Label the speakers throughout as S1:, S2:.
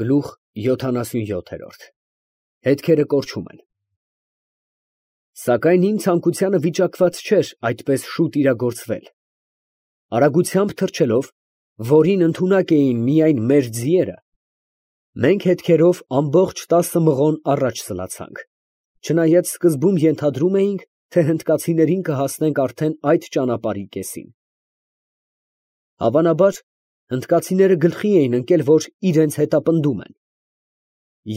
S1: Գլուխ 77 Հետքերը կորչում են։ Սակայն իմ ցանկությանը վիճակված չէր այդպես շուտ իրագործվել։ Արագությամբ թռչելով, որին ընդունակ էին միայն մեր ձիերը, մենք հետքերով ամբողջ 10 մղոն առաջ սլացանք, չնայած սկզբում ենթադրում էինք, թե հնդկացիներին կհասնենք արդեն այդ ճանապարհի կեսին։ Հավանաբար, հնդկացիները գլխի էին ընկել, որ իրենց հետապնդում են,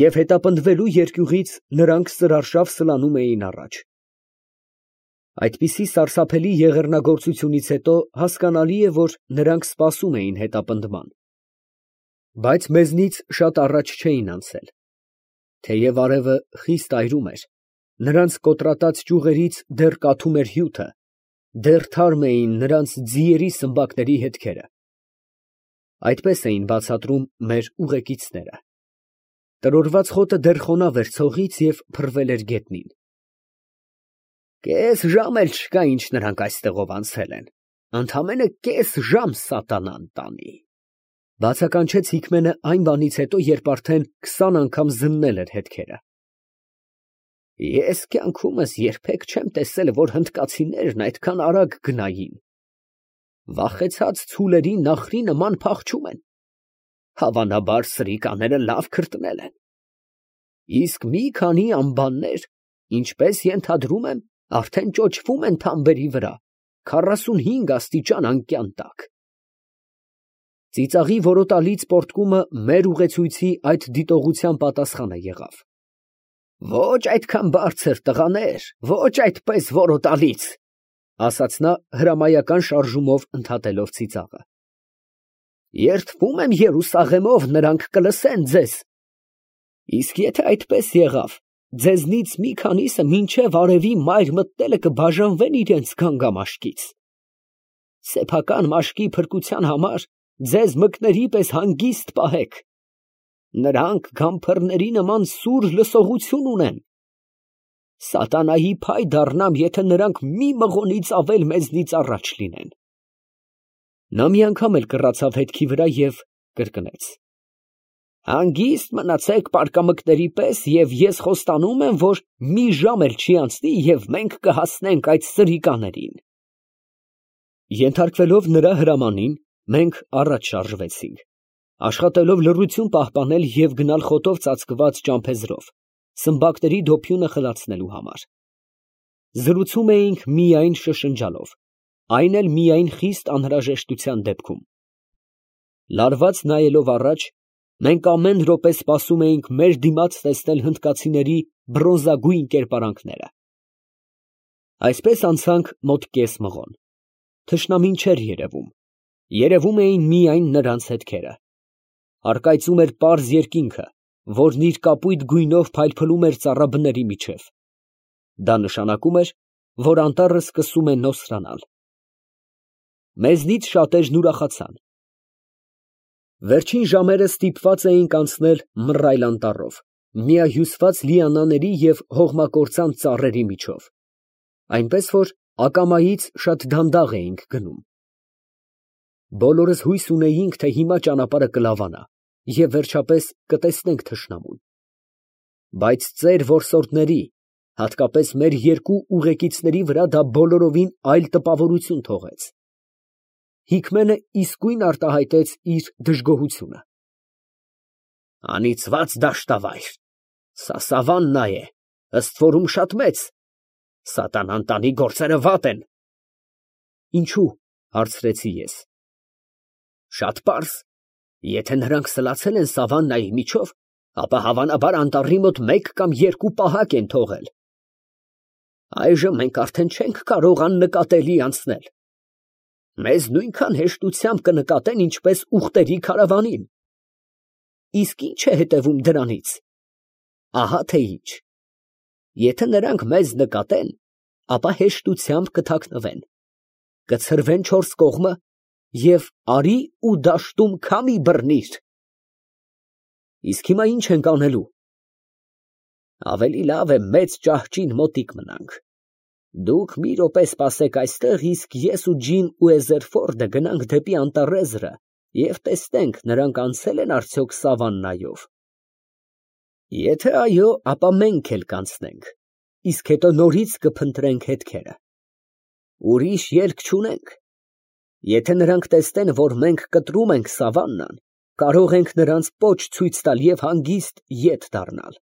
S1: և հետապնդվելու երկյուղից նրանք սրարշավ սլանում էին առաջ։ Այդպիսի սարսափելի եղեռնագործությունից հետո հասկանալի է, որ նրանք սպասում էին հետապնդման, բայց մեզնից շատ առաջ չէին անցել, թեև արևը խիստ այրում էր, նրանց կոտրատած ճյուղերից դեռ կաթում էր հյութը, դեռ թարմ էին նրանց ձիերի սմբակների հետքերը։ Այդպես էին բացատրում մեր ուղեկիցները։ Տրորված խոտը դեռ խոնավ էր ցողից և փռվել էր գետնին։ Կես ժամ էլ չկա, ինչ նրանք այստեղով անցել են, ընդամենը կես ժամ սատանան տանի, բացականչեց Հիկմենը այն բանից հետո, երբ արդեն 20 անգամ զննել էր հետքերը։ Ես կյանքումս երբեք չեմ տեսել, որ հնդկացիներն այդքան արագ գնային։ Վախեցած ցուլերի նախրի նման փախչում են։ Հավանաբար սրիկաները լավ քրտնել են։ Իսկ մի քանի ամբաններ, ինչպես ենթադրում եմ, արդեն ճոճվում են թամբերի վրա, 45 աստիճան անկյան տակ։ Ծիծաղի որոտալից պոռթկումը մեր ուղեցույցի այդ դիտողության պատասխանը եղավ։ Ոչ այդքան բարձր, տղաներ, ոչ այդպես որոտալից, ասաց նա հրամայական շարժումով ընդհատելով ծիծաղը։ Երդվում եմ Երուսաղեմով, նրանք կլսեն ձեզ։ Իսկ եթե այդպես եղավ, ձեզնից մի քանիսը մինչև արևի մայր մտնելը կբաժանվեն իրենց գանգամաշկից։ Սեփական մաշկի փրկության համար ձեզ մկների պես հանգիստ պահեք։ Նրանք գամփռների նման սուր լսողություն ունեն։ Սատանայի փայ դառնամ, եթե նրանք մի մղոնից ավել մեզնից առաջ լինեն։ Նա մի անգամ էլ կռացավ հետքի վրա և կրկնեց. Հանգիստ մնացեք պարկամկների պես, և ես խոստանում եմ, որ մի ժամ էլ չի անցնի, և մենք կհասնենք այդ սրիկաներին։ Ենթարկվելով նրա հրամանին, մենք առաջ շարժվեցինք, աշխատելով լռություն պահպանել և գնալ խոտով ծածկված ճամփեզրով, սմբակների դոփյունը խլացնելու համար։ Զրուցում էինք միայն շշնջալով, այն էլ միայն խիստ անհրաժեշտության դեպքում։ Լարված նայելով առաջ, մենք ամեն րոպե սպասում էինք մեր դիմաց տեսնել հնդկացիների բրոնզագույն կերպարանքները։ Այսպես անցանք մոտ կես մղոն։ Թշնամին չէր երևում, երևում էին միայն նրանց հետքերը։ Առկայծում էր պարզ երկինքը, որն իր կապույտ գույնով փայլփլում էր ծառաբների միջև։ Դա նշանակում էր, որ անտառը սկսում է նոսրանալ։ Մեզնից շատերն ուրախացան։ Վերջին ժամերը ստիպված էինք անցնել մռայլ անտառով, միահյուսված լիանաների և հողմակործան ծառերի միջով, այնպես որ ակամայից շատ դանդաղ էինք գնում։ Բոլորս հույս ունեինք, թե հիմա ճանապարհը կլավանա, և վերջապես կտեսնենք թշնամուն։ Բայց ծեր որսորդների, հատկապես մեր երկու ուղեկիցների վրա դա բոլորովին այլ տպավորություն թողեց։ Հիկմենը իսկույն արտահայտեց իր դժգոհությունը։ Անիծված դաշտավայր, սա սավաննա է, ըստ որում շատ մեծ, սատանան տանի գործերը վատ են։ Ինչու՞, հարցրեցի ես։ Շատ պարզ, եթե նրանք սլացել են սավաննայի միջով, ապա հավանաբար անտառի մոտ 1 կամ 2 պահակ են թողել։ Այժմ մենք արդեն չենք կարող աննկատելի անցնել։ Մեզ նույնքան հեշտությամբ կնկատեն, ինչպես ուղտերի քարավանին։ Իսկ ի՞նչ է հետևում դրանից։ Ահա թե ինչ։ Եթե նրանք մեզ նկատեն, ապա հեշտությամբ կթաքնվեն, կցրվեն 4 կողմը և արի ու դաշտում քամի բռնիր։ Իսկ հիմա ի՞նչ ենք անելու։ Ավելի լավ է մեծ ճահճին մոտիկ մնանք։ Դուք մի րոպե սպասեք այստեղ, իսկ ես ու Ջին ու Էզերֆորդը գնանք դեպի անտառեզրը Եվ տեսնենք, նրանք անցել են արդյոք սավաննայով։ Եթե այո, ապա մենք էլ կանցնենք, իսկ հետո նորից կփնտրենք հետքերը։ Ուրիշ ելք չունենք։ Եթե նրանք տեսնեն, որ մենք կտրում ենք սավաննան, կարող ենք նրանց պոչ ցույց տալ և հանգիստ ետ դառնալ։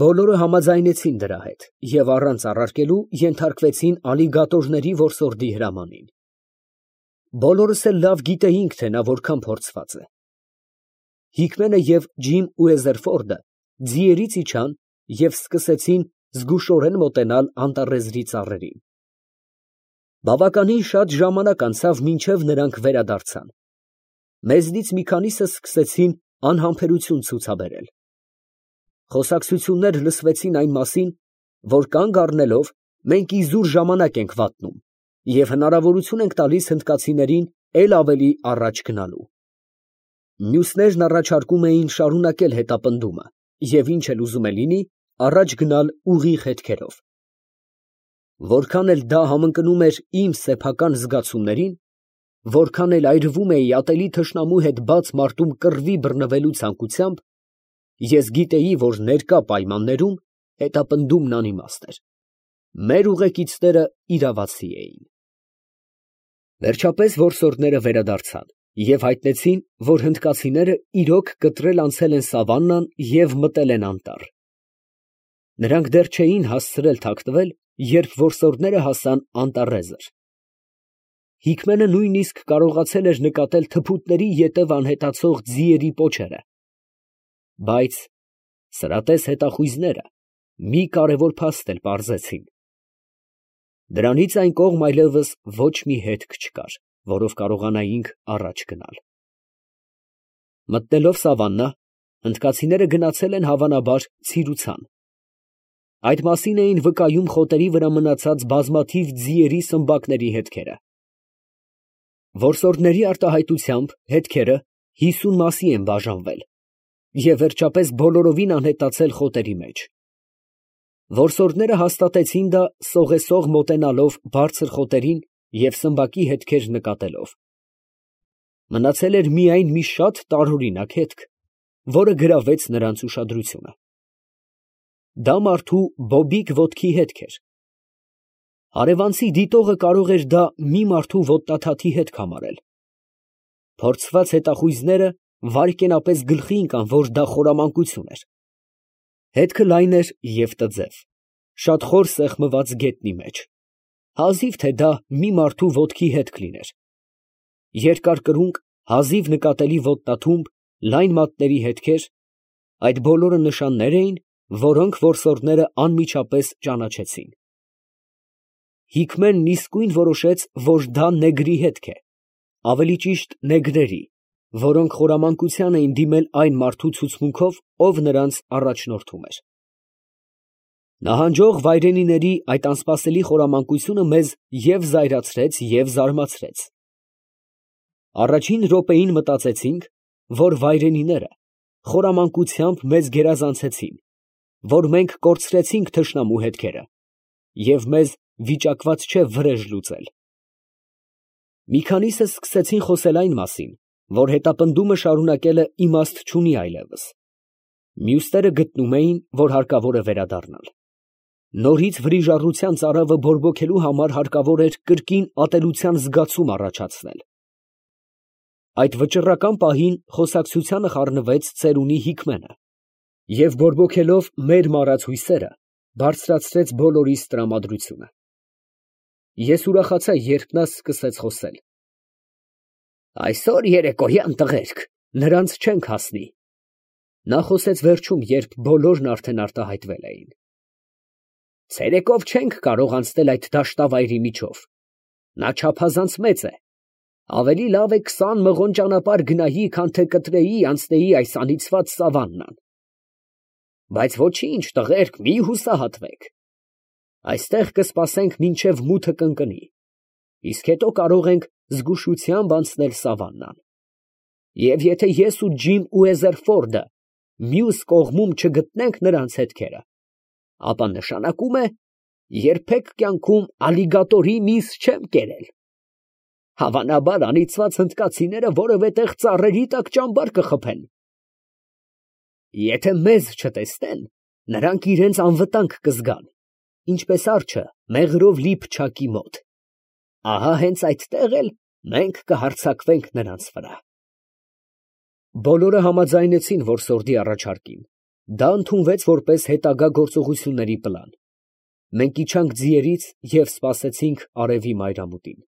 S1: Բոլորը համաձայնեցին դրա հետ և առանց առարկելու ենթարկվեցին ալիգատորների որսորդի հրամանին։ Բոլորս էլ լավ գիտեինք, թե նա որքան փորձված է։ Հիկմենը և Ջիմ Ուեզերֆորդը ձիերից իջան և սկսեցին զգուշորեն մոտենալ անտառեզրի ծառերին։ Բավականին շատ ժամանակ անցավ, մինչև նրանք վերադարձան։ Մեզնից մի քանիսը սկսեցին անհամբերություն ցուցաբերել։ Խոսակցություններ լսվեցին այն մասին, որ կանգ առնելով մենք իզուր ժամանակ ենք վատնում և հնարավորություն ենք տալիս հնդկացիներին էլ ավելի առաջ գնալու։ Մյուսներն առաջարկում էին շարունակել հետապնդումը և ինչ էլ ուզում է լինի, առաջ գնալ ուղիղ հետքերով։ Որքան էլ դա համընկնում էր իմ սեփական զգացումներին, որքան էլ այրվում էի ատելի թշնամու հետ բաց մարտում կռվի բռնվելու ցանկությամբ, ես գիտեի, որ ներկա պայմաններում հետապնդումն անիմաստ էր։ Մեր ուղեկիցները իրավացի էին։ Վերջապես որսորդները վերադարձան և հայտնեցին, որ հնդկացիները իրոք կտրել անցել են սավաննան և մտել են անտառ։ Նրանք դեռ չէին հասցրել թաքնվել, երբ որսորդները հասան անտառեզր։ Հիկմենը նույնիսկ կարողացել էր նկատել թփուտների ետև անհետացող ձիերի պոչերը։ Բայց սրատես հետախույզները մի կարևոր փաստ էլ պարզեցին. դրանից այն կողմ այլևս ոչ մի հետք չկար, որով կարողանայինք առաջ գնալ։ Մտնելով սավաննա, հնդկացիները գնացել են հավանաբար ցիրուցան։ Այդ մասին էին վկայում խոտերի վրա մնացած բազմաթիվ ձիերի սմբակների հետքերը։ Որսորդների արտահայտությամբ հետքերը 50 մասի են բաժանվել և վերջապես բոլորովին անհետացել խոտերի մեջ։ Որսորդները հաստատեցին դա սողեսող մոտենալով բարձր խոտերին և սմբակի հետքեր նկատելով։ Մնացել էր միայն մի շատ տարօրինակ հետք, որը գրավեց նրանց ուշադրությունը։ Դա մարդու բոբիկ ոտքի հետք էր։ Հարևանցի դիտողը կարող էր դա մի մարդու ոտնաթաթի հետք համարել։ Փորձված հետախույզները վայրկենապես գլխի ընկան, որ դա խորամանկություն էր։ Հետքը լայն էր և տձև, շատ խոր սեղմված գետնի մեջ։ Հազիվ թե դա մի մարդու ոտքի հետք լիներ։ Երկար կրունկ, հազիվ նկատելի ոտնաթումբ, լայն մատների հետքեր, այդ բոլորը նշաններ էին, որոնք որսորդները անմիջապես ճանաչեցին։ Հիկմենն իսկույն որոշեց, որ դա նեգրի հետք է, ավելի ճիշտ նեգրերի, որոնք խորամանկության էին դիմել այն մարդու ցուցմունքով, ով նրանց առաջնորդում էր։ Նահանջող վայրենիների այդ անսպասելի խորամանկությունը մեզ և զայրացրեց, և զարմացրեց։ Առաջին րոպեին մտածեցինք, որ վայրենիները խորամանկությամբ մեզ գերազանցեցին, որ մենք կորցրեցինք թշնամու հետքերը, և մեզ վիճակված չէ վրեժ լուծել։ Մի քանիսը սկսեցին խոսել այն մասին, որ հետապնդումը շարունակելը իմաստ չունի այլևս։ Մյուսները գտնում էին, որ հարկավոր է վերադառնալ։ Նորից վրիժառության ծարավը բորբոքելու համար հարկավոր էր կրկին ատելության զգացում առաջացնել։ Այդ վճռական պահին խոսակցությանը խառնվեց ծերունի Հիկմենը և բորբոքելով մեր մարած հույսերը, բարձրացրեց բոլորիս տրամադրությունը։ Ես ուրախացա, երբ նա սկսեց խոսել. «Այսօր երեկոյան, տղերք, նրանց չենք հասնի»։ Նա խոսեց վերջում, երբ բոլորն արդեն արտահայտվել էին։ «Ցերեկով չենք կարող անցնել այդ դաշտավայրի միջով. նա չափազանց մեծ է, ավելի լավ է 20 մղոն ճանապարհ գնայի, քան թե կտրեի անցնեի այս անիծված սավաննան։ Բայց ոչինչ, տղերք, մի հուսահատվեք. այստեղ կսպասենք, մինչև մութը կընկնի, իսկ հետո կարող ենք զգուշությամբ անցնել սավաննան։ Եվ եթե ես ու Ջիմ Ուեզերֆորդը մյուս կողմում չգտնենք նրանց հետքերը, ապա նշանակում է երբեք կյանքում ալիգատորի միս չեմ կերել»։ Հավանաբար անիծված հնդկացիները որևէ տեղ ծառերի տակ ճամբար կխփեն։ Եթե մեզ չտեսնեն, նրանք իրենց անվտանգ կզգան, ինչպես արջը մեղրով լի փչակի մոտ։ Ահա հենց այդտեղ էլ մենք կհարձակվենք նրանց վրա։ Բոլորը համաձայնեցին, որ սորդի առաջարկին։ Դա ընդունվեց որպես հետագա գործողությունների պլան։ Մենք իջանք ձիերից և սպասեցինք արևի մայրամուտին։